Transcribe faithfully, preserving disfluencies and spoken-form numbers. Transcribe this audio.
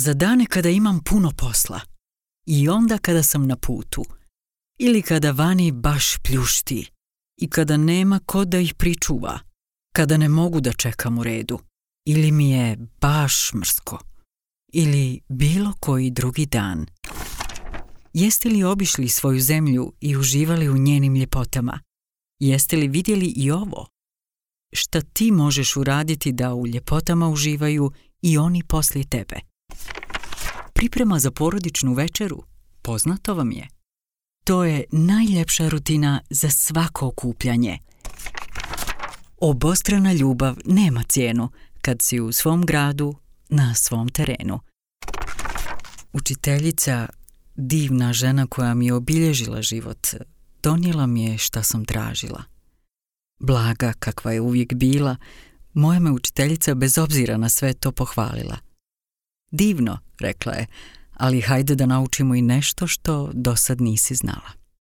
za dane kada imam puno posla i onda kada sam na putu ili kada vani baš pljušti i kada nema ko da ih pričuva, kada ne mogu da čekam u redu ili mi je baš mrsko ili bilo koji drugi dan. Jeste li obišli svoju zemlju i uživali u njenim ljepotama? Jeste li vidjeli i ovo? Šta ti možeš uraditi da u ljepotama uživaju i oni poslije tebe? Priprema za porodičnu večeru, poznato vam je. To je najljepša rutina za svako okupljanje. Obostrana ljubav nema cijenu kad si u svom gradu, na svom terenu. Učiteljica, divna žena koja mi je obilježila život, donijela mi je šta sam tražila. Blaga kakva je uvijek bila, moja me učiteljica bez obzira na sve to pohvalila. Divno, rekla je, ali hajde da naučimo i nešto što dosad nisi znala.